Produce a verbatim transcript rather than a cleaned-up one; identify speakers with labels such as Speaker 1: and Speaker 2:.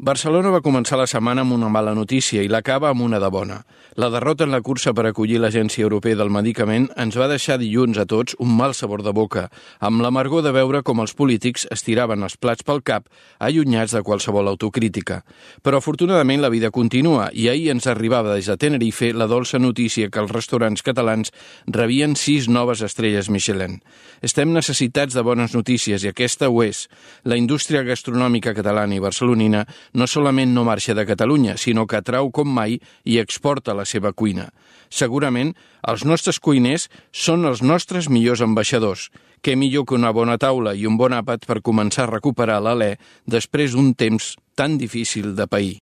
Speaker 1: Barcelona va començar la setmana amb una mala notícia i l'acaba amb una de bona. La derrota en la cursa per acollir l'Agència Europea del Medicament ens va deixar dilluns a tots un mal sabor de boca, amb l'amargor de veure com els polítics estiraven els plats pel cap, allunyats de qualsevol autocrítica. Però afortunadament la vida continua i ahir ens arribava des de Tenerife la dolça notícia que els restaurants catalans rebien sis noves estrelles Michelin. Estem necessitats de bones notícies i aquesta ho és. La indústria gastronòmica catalana i barcelonina no solament no marxa de Catalunya, sinó que atrau com mai i exporta la seva cuina. Segurament, els nostres cuiners són els nostres millors ambaixadors. Què millor que una bona taula i un bon àpat per començar a recuperar l'alè després d'un temps tan difícil de pair.